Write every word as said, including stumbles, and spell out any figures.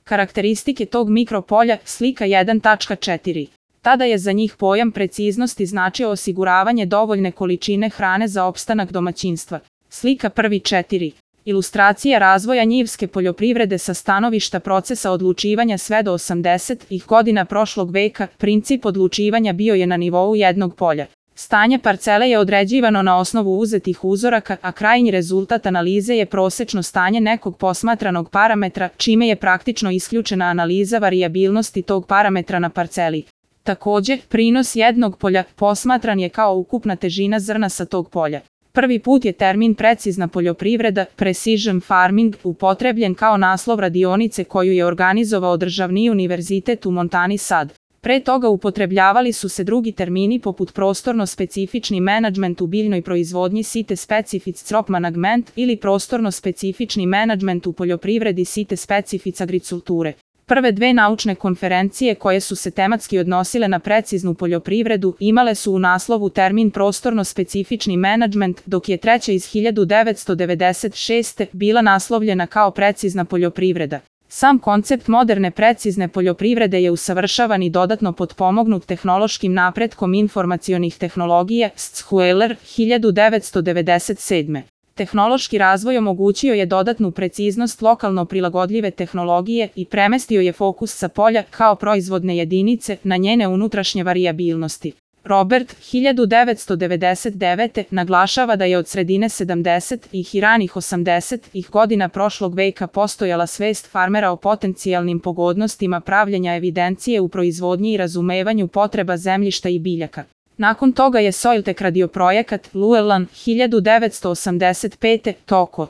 Karakteristike tog mikropolja, slika jedan tačka četiri. Tada je za njih pojam preciznosti značio osiguravanje dovoljne količine hrane za opstanak domaćinstva. Slika prvi četiri. Ilustracija razvoja njivske poljoprivrede sa stanovišta procesa odlučivanja sve do osamdesetih godina prošlog veka, princip odlučivanja bio je na nivou jednog polja. Stanje parcele je određivano na osnovu uzetih uzoraka, a krajnji rezultat analize je prosečno stanje nekog posmatranog parametra, čime je praktično isključena analiza varijabilnosti tog parametra na parceli. Takođe, prinos jednog polja posmatran je kao ukupna težina zrna sa tog polja. Prvi put je termin precizna poljoprivreda, precision farming, upotrebljen kao naslov radionice koju je organizovao Državni univerzitet u Montani Sad. Pre toga upotrebljavali su se drugi termini poput prostorno-specifični menadžment u biljnoj proizvodnji site specific crop management ili prostorno-specifični menadžment u poljoprivredi site specific agriculture. Prve dve naučne konferencije koje su se tematski odnosile na preciznu poljoprivredu imale su u naslovu termin prostorno-specifični menadžment, dok je treća iz hiljadu devetsto devedeset šeste. bila naslovljena kao precizna poljoprivreda. Sam koncept moderne precizne poljoprivrede je usavršavan i dodatno potpomognut tehnološkim napretkom informacionih tehnologija Schueller hiljadu devetsto devedeset sedme. Tehnološki razvoj omogućio je dodatnu preciznost lokalno prilagodljive tehnologije i premestio je fokus sa polja kao proizvodne jedinice na njene unutrašnje varijabilnosti. Robert hiljadu devetsto devedeset devete. naglašava da je od sredine sedamdesetih i ranih osamdesetih godina prošlog veka postojala svest farmera o potencijalnim pogodnostima pravljenja evidencije u proizvodnji i razumevanju potreba zemljišta i biljaka. Nakon toga je Soiltech radio projekat Llewellyn hiljadu devetsto osamdeset pete. toko.